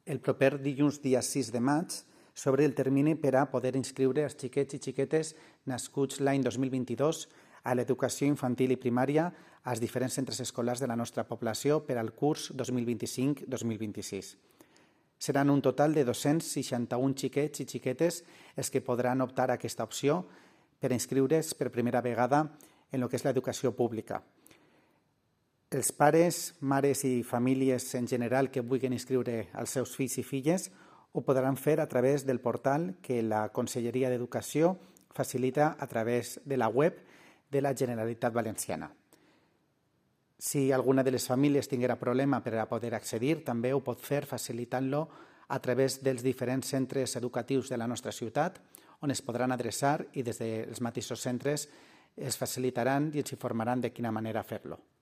el proper dilluns, dia 6 de maig, s'obre el termini per a poder inscriure els xiquets i xiquetes nascuts l'any 2022 a l'educació infantil i primària als diferents centres escolars de la nostra població per al curs 2025-2026. Seran un total de 261 xiquets i xiquetes els que podran optar a aquesta opció per inscriure's per primera vegada en el que és l'educació pública. Els pares, mares i famílies en general que vulguin inscriure els seus fills i filles ho podran fer a través del portal que la Conselleria d'Educació facilita a través de la web de la Generalitat Valenciana. Si alguna de les famílies tinguera problema per a poder accedir, també ho pot fer facilitant-lo a través dels diferents centres educatius de la nostra ciutat, on es podran adreçar i des dels mateixos centres es facilitaran i ens informaran de quina manera fer-lo.